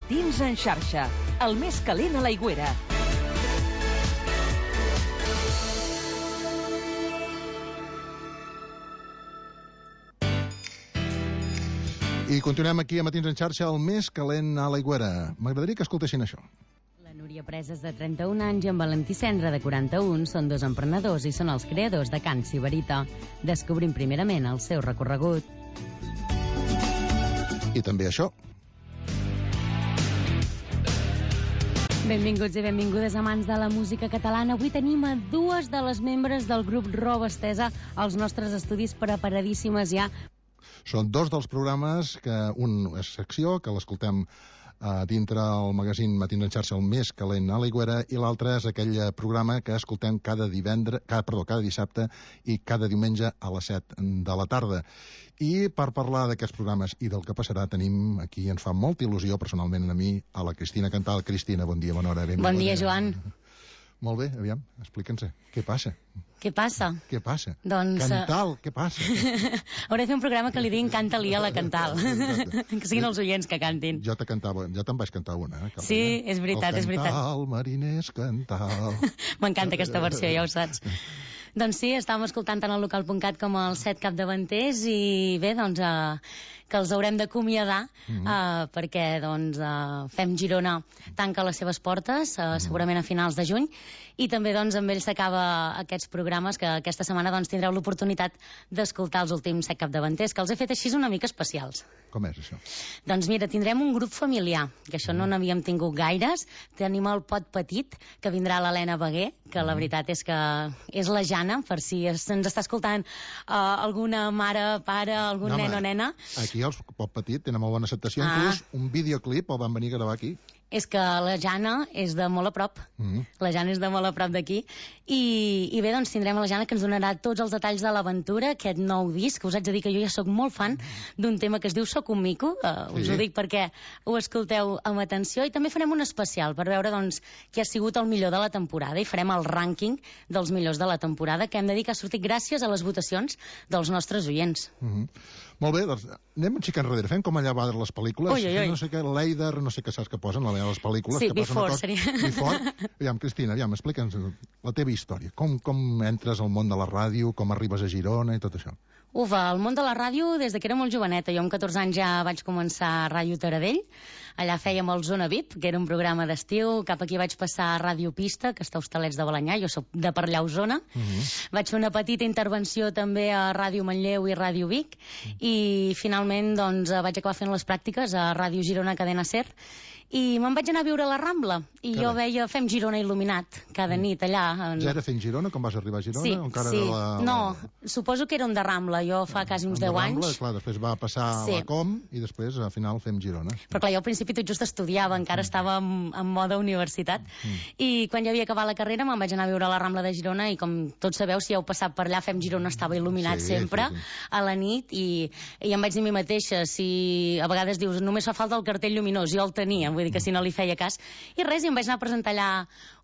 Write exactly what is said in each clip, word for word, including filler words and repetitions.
Matins en xarxa, el més calent a l'Aigüera. I continuem aquí a Matins en xarxa, el més calent a l'Aigüera. M'agradaria que escoltessin això. La Núria Presas, de trenta-un anys, i en Valentí Cendra, de quaranta-un, són dos emprenedors i són els creadors de Can Sibarita. Descobrim primerament el seu recorregut. I també això. Benvinguts i benvingudes, amants de la música catalana. Avui tenim a dues de les membres del grup Roba Estesa als nostres estudis, preparadíssimes ja. Són dos dels programes, que un és secció, que l'escoltem uh, dintre el magazín Matins en xarxa, el més calent a l'Aigüera, i l'altre és aquell programa que escoltem cada divendres, cada, perdó, cada dissabte i cada diumenge a les set de la tarda. I per parlar d'aquests programes i del que passarà, tenim aquí, ens fa molta il·lusió personalment a mi, a la Cristina Cantal. Cristina, bon dia, bona hora. Benvinguda. Bon dia, Joan. Molt bé, aviam, explica'ns, què passa? Què passa? Què passa? Doncs... Cantal, què passa? Hauré de fer un programa que li diguin canta-li a la Cantal. Que siguin els oients que cantin. Jo te cantava, jo te'n vaig cantar una. Eh, sí, és veritat, és veritat. El Cantal, mariners, Cantal. M'encanta aquesta versió, ja ho saps. Doncs sí, estàvem escoltant tant al local punt cat com els set capdavanters i bé, doncs eh, que els haurem d'acomiadar mm-hmm. eh, perquè doncs eh, Fem Girona tanca les seves portes eh, mm-hmm. segurament a finals de juny i també doncs amb ells s'acaba aquests programes que aquesta setmana doncs tindreu l'oportunitat d'escoltar els últims set capdavanters, que els he fet així una mica especials. Com és això? Doncs mira, tindrem un grup familiar, que això mm. no n'havíem tingut gaires. Tenim el Pot Petit, que vindrà l'Helena Beguer, que mm. la veritat és que és la Jana, per si ens està escoltant uh, alguna mare, pare, algun no, nen o nena. Aquí els Pot Petit tenen molt bona acceptació, ah. inclús un videoclip el van venir a gravar aquí. És que la Jana és de molt a prop. Mm. La Jana és de molt a prop d'aquí. I, I bé, doncs tindrem la Jana que ens donarà tots els detalls de l'aventura, aquest nou disc, que us haig de dir que jo ja sóc molt fan d'un tema que es diu Soc un mico. Uh, us sí. ho dic perquè ho escolteu amb atenció. I també farem un especial per veure doncs qui ha sigut el millor de la temporada i farem el rànquing dels millors de la temporada, que hem de dir que ha sortit gràcies a les votacions dels nostres oients. Mm-hmm. Molt bé, doncs anem un xic enrere. Fem com allà va les pel·lícules. Ui, ui, ui. No sé què, l'Eider, no sé què saps que posen, a les pel·lícules. Sí, que Before cosa... seria. Before. Aviam, Cristina, aviam, explica'ns la teva història. Com, com entres al món de la ràdio, com arribes a Girona i tot això. Ufa, el món de la ràdio des de que era molt joveneta. Jo amb catorze anys ja vaig començar a Ràdio Taradell. Allà fèiem el Zona V I P, que era un programa d'estiu. Cap aquí vaig passar a Ràdio Pista, que està a Hostalets de Balanyà. Jo soc de per allà a Osona. Uh-huh. Vaig fer una petita intervenció també a Ràdio Manlleu i Ràdio Vic. Uh-huh. I finalment doncs, vaig acabar fent les pràctiques a Ràdio Girona Cadena Ser. I me'n vaig anar a viure a la Rambla i Carai. jo veia Fem Girona il·luminat cada nit allà. En... Ja era Fem Girona quan vas arribar a Girona? Sí, o encara sí. De la... No, suposo que era un de Rambla, jo fa quasi uns deu Rambla, anys. Clar, després va passar sí. a la Com i després al final Fem Girona. Però clar, jo al principi tot just estudiava, encara mm. estava en, en moda universitat mm. i quan ja havia acabat la carrera me'n vaig anar a viure a la Rambla de Girona i com tots sabeu, si heu passat per allà, Fem Girona estava il·luminat sí, sempre sí, sí. a la nit i, i em vaig dir a mi mateixa, si a vegades dius només fa falta el cartell lluminós, jo el tenia, vull dir que si no li feia cas. I res, i em vaig anar a presentar allà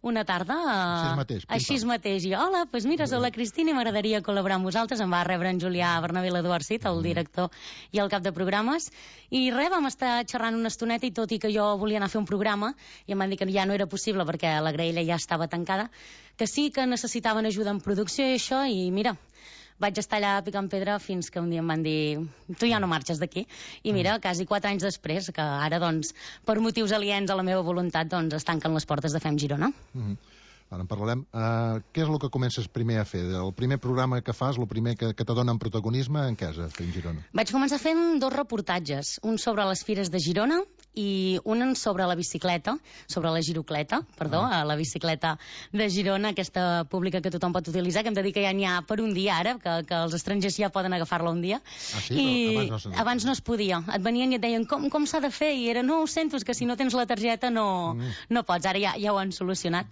una tarda. Així mateix. Així mateix. I hola, doncs mira, soc la Cristina i m'agradaria col·laborar amb vosaltres. Em va rebre en Julià Bernabé l'Eduard Cid, el director i el cap de programes. I res, vam estar xerrant una estoneta i tot i que jo volia anar a fer un programa i em van dir que ja no era possible perquè la graella ja estava tancada, que sí que necessitaven ajuda en producció i això, i mira... Vaig estar allà picant pedra fins que un dia em van dir tu ja no marxes d'aquí. I mira, quasi quatre anys després, que ara, doncs, per motius aliens a la meva voluntat, doncs, es tanquen les portes de Fem Girona. Mm-hmm. Ara en parlarem. Uh, què és el que comences primer a fer? El primer programa que fas, el primer que, que te donen protagonisme, en què és a Fem Girona? Vaig començar fent dos reportatges, un sobre les fires de Girona i un sobre la bicicleta, sobre la girocleta, perdó, ah. la bicicleta de Girona, aquesta pública que tothom pot utilitzar, que hem de dir que ja n'hi ha per un dia ara, que, que els estrangers ja poden agafar-la un dia. Ah, sí? I abans, no abans no es podia. Et venien i et deien com, com s'ha de fer, i era no, ho sento, és que si no tens la targeta no, mm. no pots. Ara ja, ja ho han solucionat.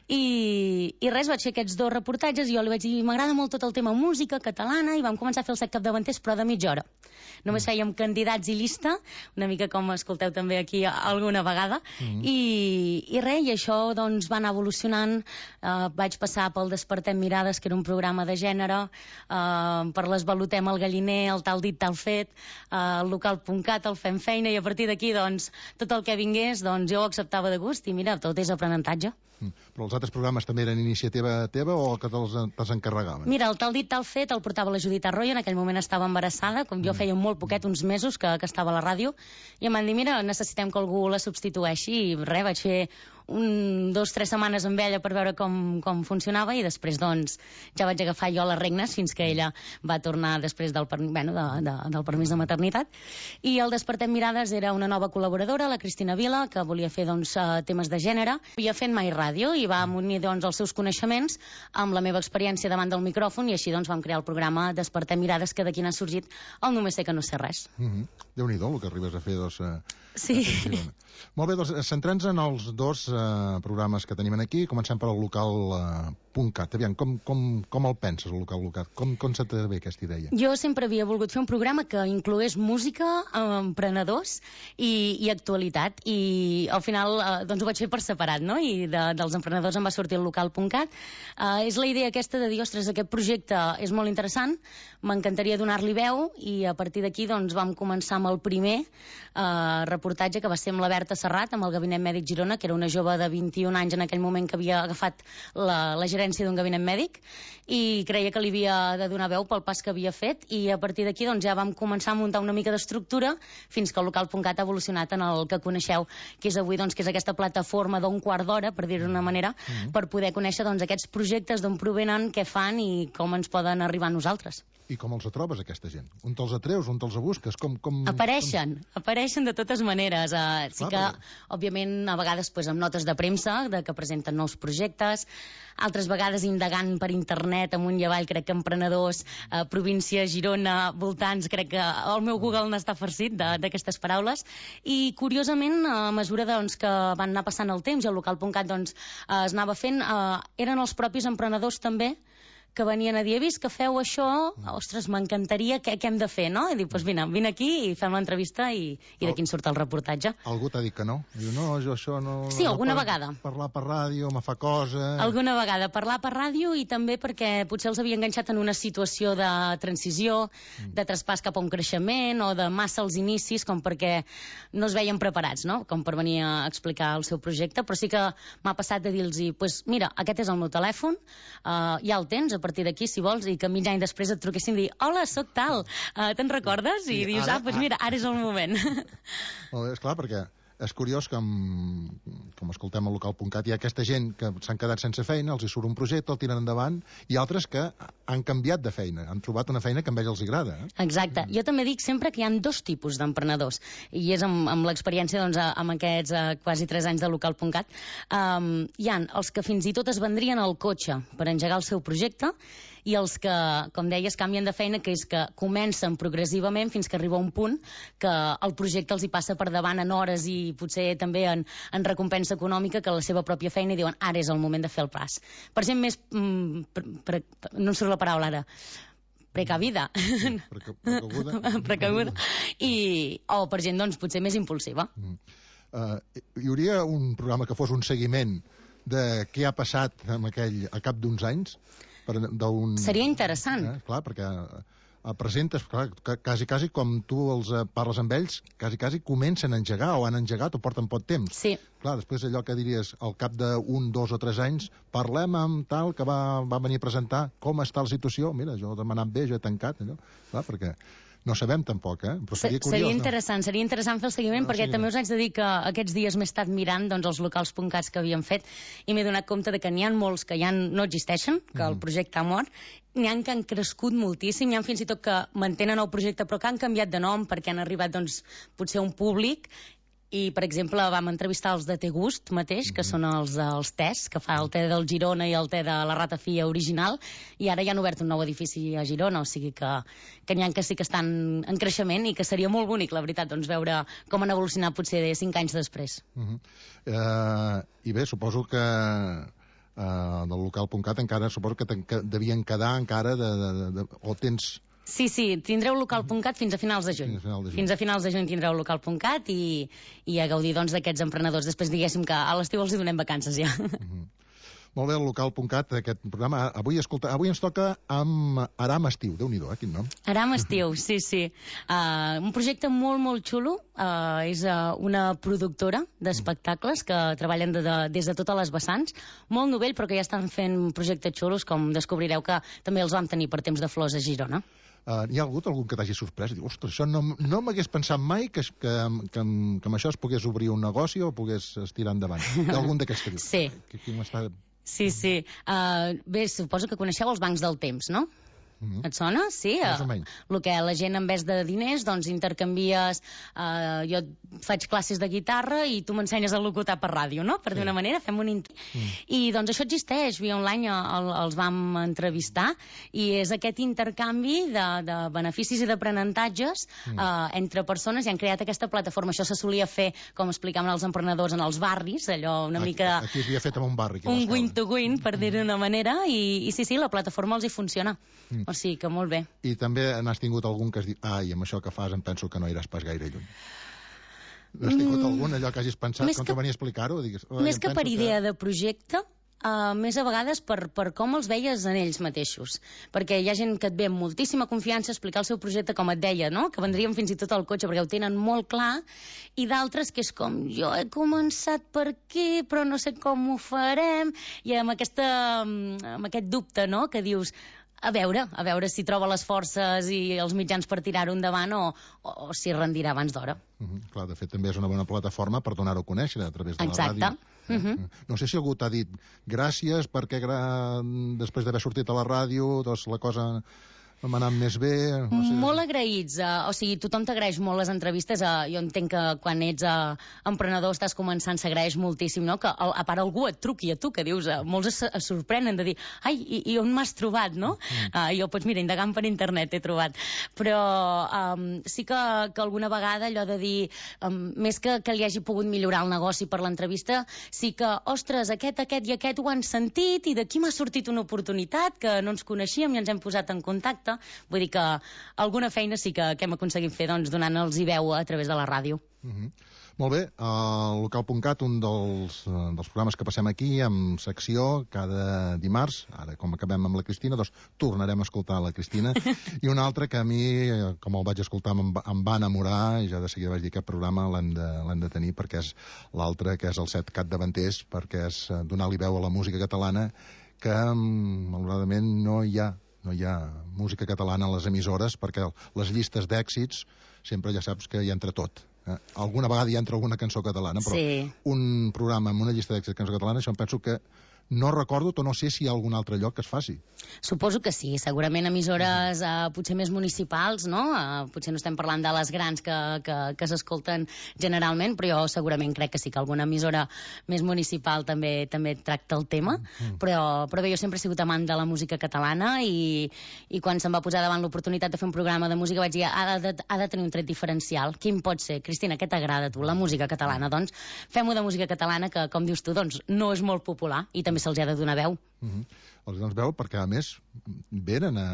I I, i res, vaig fer aquests dos reportatges i jo li vaig dir, m'agrada molt tot el tema música catalana, i vam començar a fer el set capdavanters, però de mitja hora. Només fèiem candidats i llista, una mica com escolteu també aquí alguna vegada, mm. i, i res, i això doncs va anar evolucionant. Uh, vaig passar pel Despertem Mirades, que era un programa de gènere, uh, per l'Esvalotem al Galliner, el Tal dit, tal fet, uh, el local punt cat, el Fem Feina, i a partir d'aquí, doncs, tot el que vingués, doncs jo ho acceptava de gust, i mira, tot és aprenentatge. Mm. Però els altres programes també eren iniciativa teva o que te'ls te encarregaven? Mira, el Tal dit, tal fet el portava la Judit Arroyo, en aquell moment estava embarassada, com jo feia molt poquet, uns mesos que, que estava a la ràdio, i em van dir, mira, necessitem que algú la substitueixi, i res, vaig fer un, dos, tres setmanes amb ella per veure com, com funcionava, i després doncs ja vaig agafar jo les regnes fins que ella va tornar després del, bueno, de, de, del permís de maternitat. I el Despertem Mirades era una nova col·laboradora, la Cristina Vila, que volia fer doncs, temes de gènere. Havia fet mai ràdio i va unir doncs, els seus coneixements amb la meva experiència davant del micròfon, i així doncs vam crear el programa Despertem Mirades, que d'aquí n'ha sorgit el Només sé que no sé res. Mm-hmm. Déu-n'hi-do el que arribes a fer, doncs... Eh, sí. Molt bé, doncs centrant-nos en els dos eh, programes que tenim aquí. Comencem per al local eh, punt cat. Aviam, com, com, com el penses, el local local? Com, com se t'ha ve aquesta idea? Jo sempre havia volgut fer un programa que inclogués música, emprenedors i, i actualitat, i al final eh, doncs ho vaig fer per separat, no? I de, dels emprenedors em va sortir el local punt cat. Eh, és la idea aquesta de dir, ostres, aquest projecte és molt interessant, m'encantaria donar-li veu, i a partir d'aquí doncs vam començar amb el primer eh, reportatge, que va ser amb la Berta Serrat, amb el Gabinet Mèdic Girona, que era una jove de vint-i-un anys en aquell moment que havia agafat la, la gerència d'un gabinet mèdic, i creia que li havia de donar veu pel pas que havia fet, i a partir d'aquí doncs, ja vam començar a muntar una mica d'estructura fins que el local punt cat ha evolucionat en el que coneixeu, que és avui doncs, que és aquesta plataforma d'un quart d'hora, per dir-ho d'una manera, mm-hmm. per poder conèixer doncs, aquests projectes, d'on provenen, què fan i com ens poden arribar a nosaltres. I com els trobes, aquesta gent? On te'ls atreus, on te'ls busques? Com, com, apareixen, com... apareixen de totes maneres. Uh, sí Clar, que, però... òbviament, a vegades pues, amb notes de premsa, de que presenten nous projectes, altres vegades indagant per internet, amunt i avall, crec que emprenedors, uh, província, Girona, voltants, crec que el meu Google n'està farcit d'aquestes paraules, i curiosament, a mesura doncs, que van anar passant el temps i el local punt cat doncs, uh, es anava fent, uh, eren els propis emprenedors també que venien a dir, he vist que feu això, ostres, m'encantaria, què, què hem de fer, no? I dic, doncs vine, vine aquí i fem l'entrevista, i, i d'aquí en surt el reportatge. Algú t'ha dit que no? Diu, no, jo això no... Sí, alguna per, vegada. Parlar per ràdio, me fa cosa... Alguna vegada, parlar per ràdio, i també perquè potser els havia enganxat en una situació de transició, de traspàs cap a un creixement, o de massa als inicis, com perquè no es veien preparats, no? Com per venir a explicar el seu projecte, però sí que m'ha passat de dir-los, pues, mira, aquest és el meu telèfon, uh, ja el tens, a partir d'aquí, si vols, i que mig any després et truquessin i dir, hola, sóc tal, uh, te'n recordes? I sí, dius, ara, ah, doncs mira, ara és el moment. Molt bé, esclar, perquè és curiós que, com escoltem al local punt cat, hi ha aquesta gent que s'han quedat sense feina, els hi surt un projecte, el tiren endavant, i altres que han canviat de feina, han trobat una feina que a ells els agrada. Eh? Exacte. Jo també dic sempre que hi ha dos tipus d'emprenedors, i és amb, amb l'experiència doncs, amb aquests uh, quasi tres anys de local punt cat. Um, hi ha els que fins i tot es vendrien al cotxe per engegar el seu projecte, i els que, com deies, canvien de feina, que és que comencen progressivament fins que arriba un punt que el projecte els hi passa per davant en hores i potser també en, en recompensa econòmica que la seva pròpia feina, i diuen, ara és el moment de fer el pas. Per gent més... Mm, pre, pre, no em surt la paraula ara. Precavida. Precabuda. Precabuda. I, o per gent, doncs, potser més impulsiva. Mm. Uh, hi hauria un programa que fos un seguiment de què ha passat amb aquell, a cap d'uns anys? Per, un... Seria interessant. Eh, clar, perquè eh, presentes, clar, quasi, quasi com tu els eh, parles amb ells, quasi, quasi comencen a engegar, o han engegat, o porten pot temps. Sí. Clar, després allò que diries, al cap d'un, dos o tres anys, parlem amb tal que va, va venir a presentar com està la situació. Mira, jo he anat bé, jo he tancat, allò. Clar, perquè... No sabem tampoc, eh? Però seria curiós, seria interessant, no? Seria interessant fer el seguiment, no, perquè sí, també us haig de dir que aquests dies m'he estat mirant doncs, els locals punt cat que havíem fet, i m'he donat compte de que n'hi ha molts que ja no existeixen, que mm. el projecte ha mort, n'hi ha que han crescut moltíssim, n'hi ha fins i tot que mantenen el projecte però que han canviat de nom perquè han arribat doncs, potser a un públic. I, per exemple, vam entrevistar els de Té Gust mateix, que són els dels tés, que fa el te del Girona i el te de la Ratafia original, i ara ja han obert un nou edifici a Girona, o sigui que, que n'hi ha que sí que estan en creixement, i que seria molt bonic, la veritat, doncs, veure com han evolucionat potser de cinc anys després. Uh -huh. uh, I bé, suposo que uh, del local punt cat encara suposo que, que devien quedar encara de, de, de, de, o tens... Sí, sí, tindreu local punt cat fins a finals de juny. Fins a, final de juny. Fins a finals de juny tindreu local punt cat i, i a gaudir doncs, d'aquests emprenedors. Després diguéssim que a l'estiu els hi donem vacances ja. Uh-huh. Molt bé, el local punt cat, aquest programa. Avui, escolta, avui ens toca amb Aram Estiu. Déu-n'hi-do, eh, quin nom. Aram Estiu, sí, sí. Uh, un projecte molt, molt xulo. Uh, és uh, una productora d'espectacles que treballen de, de, des de totes les vessants. Molt novell, però que ja estan fent projectes xulos, com descobrireu que també els vam tenir per Temps de Flors a Girona. Uh, hi ha hagut algun que t'hagi sorprès? Diu, ostres, això no, no m'hagués pensat mai que, que, que, que amb això es pogués obrir un negoci o pogués estirar endavant. Hi ha algun d'aquests que dius? Sí. Que, que m'està... Sí, sí. Uh, bé, suposo que coneixeu els bancs del temps, no? Mm-hmm. Et sona? Sí. Més o menys. El que la gent, en vez de diners, doncs intercanvies... Uh, jo faig classes de guitarra i tu m'ensenyes a locutar per ràdio, no? Per sí. D'una manera, fem un... Mm. I doncs això existeix. Via online el, els vam entrevistar i és aquest intercanvi de, de beneficis i d'aprenentatges mm. uh, entre persones i han creat aquesta plataforma. Això se solia fer, com explicaven els emprenedors, en els barris, allò una aquí, mica... Aquí s'havia fet en un barri. Un win-to-win, per mm. dir-ho d'una manera, i, i sí, sí, la plataforma els hi funciona. Mm. O sigui que molt bé. I també n'has tingut algun que has dit, ai, amb això que fas em penso que no iràs pas gaire lluny. N'has tingut mm. algun, allò que hagis pensat, més quan que, te venia a explicar-ho? Digues, més que per idea que... de projecte, uh, més a vegades per, per com els veies en ells mateixos. Perquè hi ha gent que et ve amb moltíssima confiança a explicar el seu projecte, com et deia, no? Que vendrien fins i tot al cotxe, perquè ho tenen molt clar, i d'altres que és com, jo he començat per aquí, però no sé com ho farem, i amb, aquesta, amb aquest dubte, no?, que dius... A veure, a veure si troba les forces i els mitjans per tirar-ho endavant o, o, o si rendirà abans d'hora. Uh -huh. Clar, de fet, també és una bona plataforma per donar-ho a conèixer a través de Exacte. la ràdio. Uh -huh. No sé si algú t'ha dit gràcies perquè gra... després d'haver sortit a la ràdio doncs la cosa... m'ha anat més bé... No sé. Molt agraïts. Uh, o sigui, tothom t'agraeix molt les entrevistes. Uh, jo entenc que quan ets uh, emprenedor, estàs començant, s'agraeix moltíssim, no? Que a, a part algú et truqui a tu, que dius... Uh, molts es, es sorprenen de dir, ai, i, i on m'has trobat, no? Mm. Uh, jo, pots, mira, indagant per internet he trobat. Però um, sí que, que alguna vegada allò de dir... Um, més que, que li hagi pogut millorar el negoci per l'entrevista, sí que, ostres, aquest, aquest i aquest ho han sentit i d'aquí m'ha sortit una oportunitat que no ens coneixíem i ens hem posat en contacte. Vull dir que alguna feina sí que, que hem aconseguit fer doncs, donant-los i veu a través de la ràdio. Uh-huh. Molt bé, el local punt cat, un dels, dels programes que passem aquí amb secció cada dimarts, ara com acabem amb la Cristina, doncs tornarem a escoltar la Cristina, i un altre que a mi, com el vaig escoltar, em, em va enamorar, i ja de seguida vaig dir que aquest programa l'hem de, l'hem de tenir, perquè és l'altre, que és el Set Capdavanters, perquè és donar-li veu a la música catalana, que malauradament no hi ha no hi ha música catalana a les emissores perquè les llistes d'èxits sempre ja saps que hi entra tot. Eh? Alguna vegada hi entra alguna cançó catalana, però sí. Un programa amb una llista d'èxits de cançó catalana, això em penso que no recordo o no sé si hi ha algun altre lloc que es faci. Suposo que sí, segurament emissores uh, potser més municipals, no? Uh, potser no estem parlant de les grans que, que, que s'escolten generalment, però jo segurament crec que sí que alguna emissora més municipal també també tracta el tema, mm. però, però bé, jo sempre he sigut amant de la música catalana i, i quan se'm va posar davant l'oportunitat de fer un programa de música vaig dir, ha de, ha de tenir un tret diferencial. Quin pot ser? Cristina, què t'agrada a tu? La música catalana. Doncs fem-ho de música catalana que, com dius tu, doncs no és molt popular i també se'ls ha de donar veu. Uh-huh. Els dones veu perquè, a més, venen a...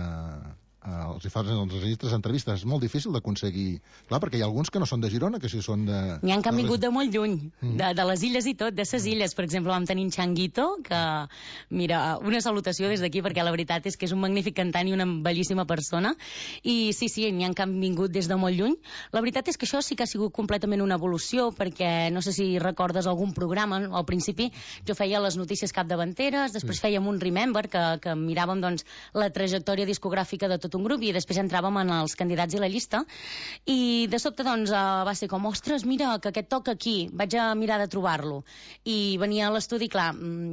Uh, els hi fan els registres d'entrevistes. És molt difícil d'aconseguir... Clar, perquè hi ha alguns que no són de Girona, que si són de... N'hi ha que han vingut de molt lluny, mm. de, de les illes i tot, de ses illes. Per exemple, vam tenir en Changuito, que, mira, una salutació des d'aquí, perquè la veritat és que és un magnífic cantant i una bellíssima persona. I sí, sí, n'hi ha que han vingut des de molt lluny. La veritat és que això sí que ha sigut completament una evolució, perquè no sé si recordes algun programa, al principi jo feia les notícies capdavanteres, després sí. fèiem un Remember, que, que miràvem doncs, la trajectòria discogràfica de tot un grup i després entràvem en els candidats i la llista i de sobte doncs va ser com, ostres, mira, que aquest toca aquí, vaig a mirar de trobar-lo i venia a l'estudi, clar,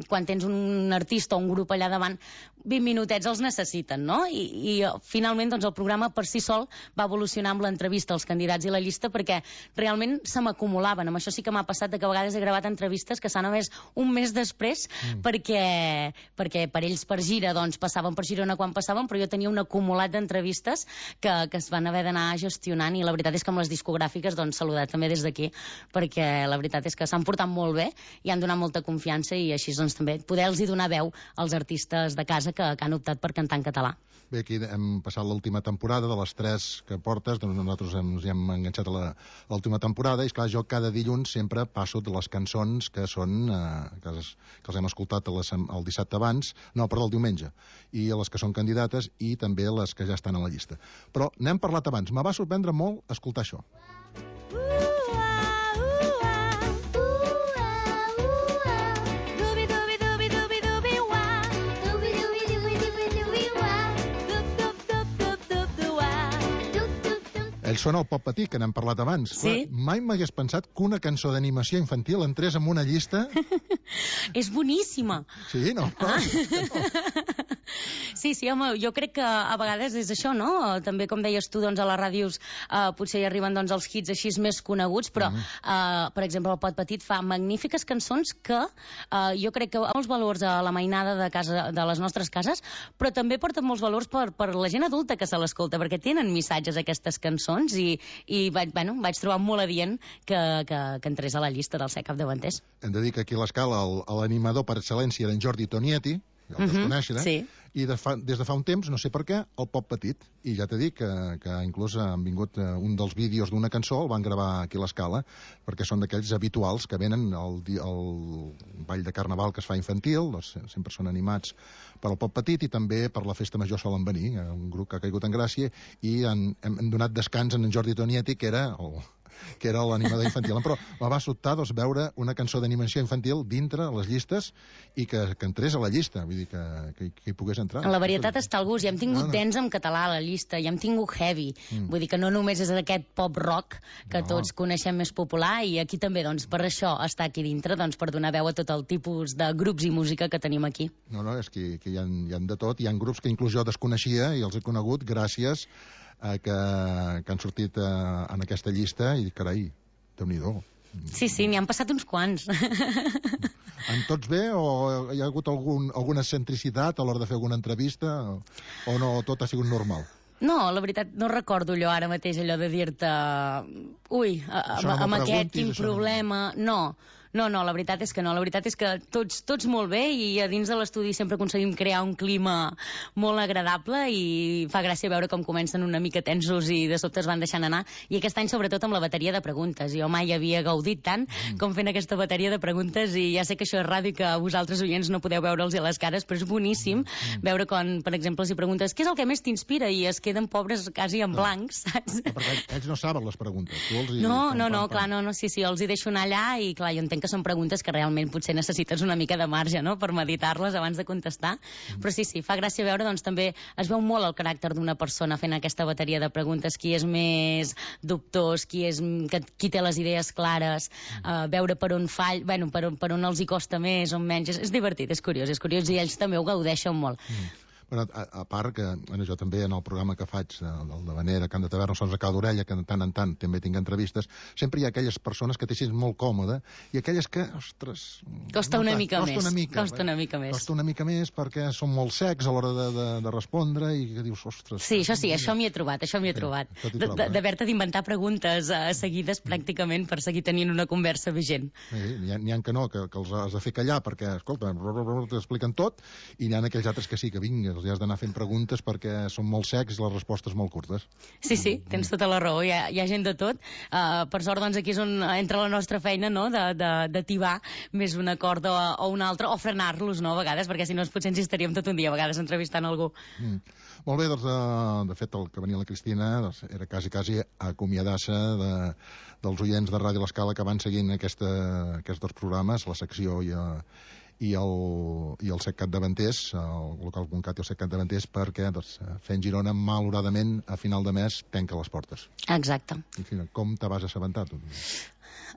quan tens un artista o un grup allà davant vint minutets els necessiten, no? I, i finalment doncs el programa per si sol va evolucionar amb l'entrevista als candidats i la llista perquè realment se m'acumulaven. Amb això sí que m'ha passat de que a vegades he gravat entrevistes que s'han només un mes després mm. perquè, perquè per ells per gira doncs passaven per Girona quan passaven, però jo tenia un acumulat acumulat d'entrevistes que, que es van haver d'anar gestionant, i la veritat és que amb les discogràfiques, doncs, saludar també des d'aquí, perquè la veritat és que s'han portat molt bé i han donat molta confiança, i així doncs també poder-los donar veu als artistes de casa que, que han optat per cantar en català. Bé, aquí hem passat l'última temporada, de les tres que portes, doncs nosaltres ens hi hem enganxat a l'última temporada, i esclar, jo cada dilluns sempre passo de les cançons que són, eh, que, es, que els hem escoltat les, el dissabte abans, no, perdó, el diumenge, i les que són candidates, i també les que ja estan a la llista. Però n'hem parlat abans, me va sorprendre molt escoltar això. Ell sona el Pop Petit, que n'hem parlat abans. Sí? Clar, mai m'hagués pensat que una cançó d'animació infantil entrés en una llista... És boníssima. Sí, no? Ah. Sí, sí, home, jo crec que a vegades és això, no? També, com deies tu, doncs, a les ràdios eh, potser hi arriben doncs, els hits així més coneguts, però, uh -huh. eh, per exemple, el Pot Petit fa magnífiques cançons que eh, jo crec que molts valors a la mainada de, casa, de les nostres cases, però també porten molts valors per, per la gent adulta que se l'escolta, perquè tenen missatges aquestes cançons, i, i vaig, bueno, vaig trobar molt adient que, que, que entrés a la llista dels set capdavanters. Hem de dir que aquí a l'escala l'animador per excel·lència era en Jordi Tonietti, ja el deus conèixer, eh? Sí. I de fa, des de fa un temps, no sé per què, el Pop Petit. I ja t'he dit que, que inclús han vingut uh, un dels vídeos d'una cançó, el van gravar aquí a l'Escala, perquè són d'aquells habituals que venen al el ball de carnaval que es fa infantil, doncs sempre són animats per al Pop Petit, i també per la Festa Major solen venir, un grup que ha caigut en gràcia, i han, hem donat descans en Jordi Tonietti, que era el... que era l'animador infantil. Però me va sobtar doncs, veure una cançó d'animació infantil dintre les llistes i que, que entrés a la llista, vull dir, que, que, que hi pogués entrar. La varietat està al gust. Ja hem tingut no, no. dance en català a la llista, ja hem tingut heavy. Mm. Vull dir que no només és aquest pop rock que no. tots coneixem més popular, i aquí també, doncs, per això està aquí dintre, doncs, per donar veu a tot el tipus de grups i música que tenim aquí. No, no, és que, que hi, ha, hi ha de tot. Hi ha grups que inclús jo desconeixia i els he conegut gràcies a que, que han sortit uh, en aquesta llista, i carai, Déu-n'hi-do. Sí, sí, n'hi han passat uns quants. En tots bé, o hi ha hagut algun, alguna excentricitat a l'hora de fer alguna entrevista, o, o no, tot ha sigut normal? No, la veritat, no recordo allò ara mateix, allò de dir-te ui, amb, no amb aquest, quin això problema... No. No, no, la veritat és que no. La veritat és que tots, tots molt bé, i a dins de l'estudi sempre aconseguim crear un clima molt agradable, i fa gràcia veure com comencen una mica tensos i de sobte es van deixant anar. I aquest any, sobretot, amb la bateria de preguntes. Jo mai havia gaudit tant mm. com fent aquesta bateria de preguntes, i ja sé que això és ràdio, que vosaltres, oients, no podeu veure'ls a les cares, però és boníssim mm. veure quan, per exemple, si preguntes què és el que més t'inspira, i es queden pobres quasi en blancs, saps? No, perquè ells no saben les preguntes. Tu els hi... No, no, no, clar, no, no, sí, sí, els hi deixo anar allà, i clar, jo entenc que són preguntes que realment potser necessites una mica de marge, no?, per meditar-les abans de contestar, mm. però sí, sí, fa gràcia veure, doncs també es veu molt el caràcter d'una persona fent aquesta bateria de preguntes, qui és més dubtós, qui és qui té les idees clares, mm. uh, veure per on fall, bueno, per on, per on els hi costa més, on menys, és, és divertit, és curiós, és curiós, i ells també ho gaudeixen molt. Mm. Bueno, a, a part que bueno, jo també en el programa que faig del de Vanera, Cant de Taverna, Sons de Cau d'Orella, que de tant en tant també tinc entrevistes, sempre hi ha aquelles persones que t'hi sents molt còmode i aquelles que, ostres... Costa una no, mica costa més. Una mica, costa una mica més. Costa una mica més perquè són molt secs a l'hora de, de, de respondre, i que dius, ostres... Sí, això sí, això m'hi he trobat, això m'hi he trobat. D'haver-te d'inventar preguntes uh, seguides pràcticament per seguir tenint una conversa vigent. Sí, n'hi ha, ha que no, que, que els has de fer callar perquè, escolta, t'expliquen tot, i n'hi ha aquells altres que sí, que vinga, els has d'anar fent preguntes perquè són molt secs i les respostes molt curtes. Sí, sí, tens tota la raó, hi ha, hi ha gent de tot. Uh, per sort, doncs, aquí és on entra la nostra feina, no?, de, de, de tibar més un acord o, o un altre, o frenar-los, no?, a vegades, perquè si no potser ens hi estaríem tot un dia a vegades entrevistant algú. Mm. Molt bé, doncs, de, de fet, el que venia la Cristina doncs, era quasi, quasi acomiadar-se de, dels oients de Ràdio L'Escala que van seguint aquesta, aquests dos programes, la secció i a i el, i el set capdavanters, el local punt cat i el set capdavanters, perquè doncs, fent Girona, malauradament, a final de mes, tanca les portes. Exacte. I, com te vas assabentar, tu?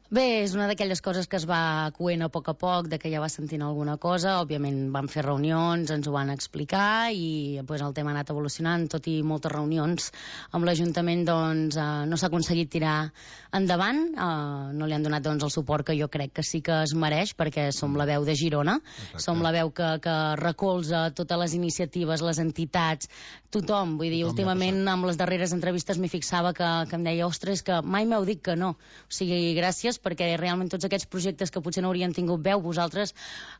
Bé, és una d'aquelles coses que es va coent a poc a poc, de que ja va sentint alguna cosa. Òbviament vam fer reunions, ens ho van explicar i pues, el tema ha anat evolucionant, tot i moltes reunions amb l'Ajuntament doncs, eh, no s'ha aconseguit tirar endavant, eh, no li han donat doncs, el suport que jo crec que sí que es mereix, perquè som la veu de Girona. Exacte. Som la veu que, que recolza totes les iniciatives, les entitats, tothom. Vull dir, tothom últimament amb les darreres entrevistes m'hi fixava que, que em deia, ostres, que mai m'heu dit que no. O sigui, gràcies, perquè realment tots aquests projectes que potser no haurien tingut veu, vosaltres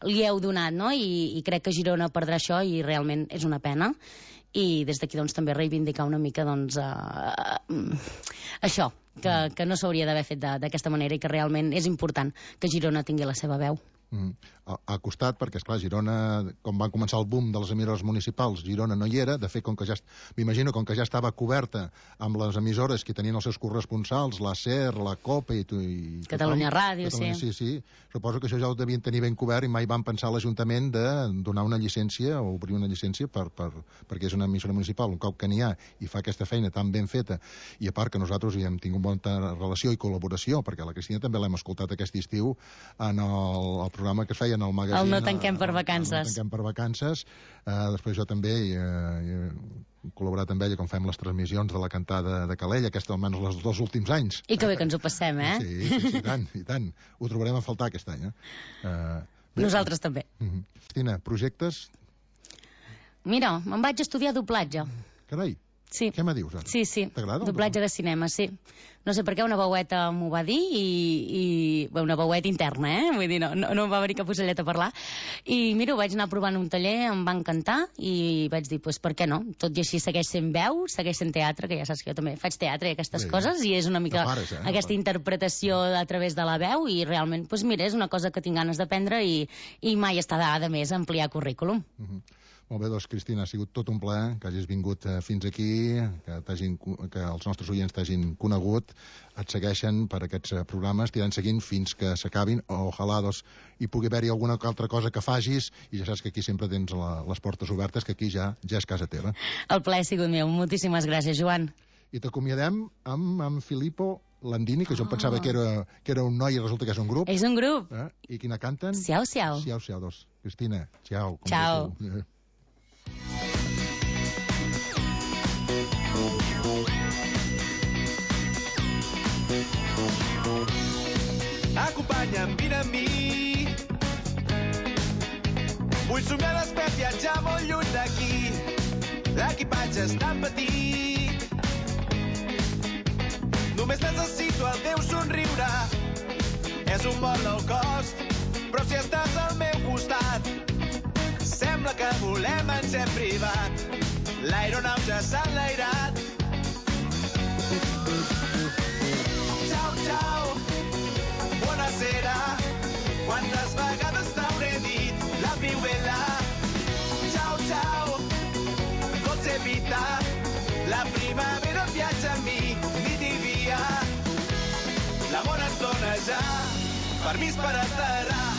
li heu donat, no? I, i crec que Girona perdrà això i realment és una pena. I des d'aquí doncs també reivindicar una mica doncs uh, això, que, que no s'hauria d'haver fet d'aquesta manera i que realment és important que Girona tingui la seva veu. Mm. Ha costat perquè, esclar, Girona, com van començar el boom de les emissores municipals, Girona no hi era. De fet, com que ja, m'imagino, com que ja estava coberta amb les emissores que tenien els seus corresponsals, la SER, la COPE i... i Catalunya Ràdio, Catalunya, sí. Sí, sí. Suposo que això ja ho devien tenir ben cobert i mai van pensar a l'Ajuntament de donar una llicència o obrir una llicència per, per, perquè és una emissora municipal. Un cop que n'hi ha i fa aquesta feina tan ben feta, i a part que nosaltres hi hem tingut molta relació i col·laboració, perquè la Cristina també l'hem escoltat aquest estiu en el, el programa que es feia en el magazín. El No tanquem per vacances. El No tanquem per vacances. Uh, després jo també hi, uh, he col·laborat amb ella quan fem les transmissions de la cantada de Calella, aquesta almenys els dos últims anys. I que bé que ens ho passem, eh? Sí, sí, sí, i tant, i tant. Ho trobarem a faltar aquest any, eh? Uh, Nosaltres també. Uh -huh. Cristina, projectes? Mira, me'n vaig estudiar doblatge. Carai. Sí. Què me dius, ara? Sí, sí. T'agrada? Doblatge de cinema, sí. No sé per què una veueta m'ho va dir i... i bé, una veueta interna, eh? Vull dir, no, no, no em va venir cap ocellet a parlar. I mira, ho vaig anar provant un taller, em va encantar i vaig dir, pues, per què no? Tot i així segueix sent veu, segueix sent teatre, que ja saps que jo també faig teatre i aquestes sí, coses, i és una mica pares, eh? aquesta interpretació a través de la veu i realment, pues, mira, és una cosa que tinc ganes d'aprendre i, i mai està de més ampliar currículum. Uh -huh. Molt bé, doncs, Cristina, ha sigut tot un plaer que hagis vingut eh, fins aquí, que, que els nostres oients t'hagin conegut, et segueixen per aquests eh, programes, t'aniran seguint fins que s'acabin, o ojalà doncs, hi pugui haver-hi alguna altra cosa que facis, i ja saps que aquí sempre tens la, les portes obertes, que aquí ja ja és casa teva. El plaer ha sigut meu. Moltíssimes gràcies, Joan. I t'acomiadem amb, amb Filippo Landini, que jo em pensava oh. que, era, que era un noi i resulta que és un grup. És un grup. Eh? I quina canten? Siau, siau. Siau, siau, doncs. Cristina, ciao. Ciao. Acompanya'm, vine amb mi. Vull somiar despert, viatjar molt lluny d'aquí. L'equipatge és tan petit. Només necessito el teu somriure. És un vol low cost, però si estàs al meu costat, sembla que volem en jet privat. L'aeronau ja s'ha enlairat. Ciao, ciao. Buonasera. Quantes vegades t'hauré dit la più bella. Ciao, ciao. Dolce vita. La primavera viatja amb mi, nit i dia. L'amor ens dona ja permís per aterrar.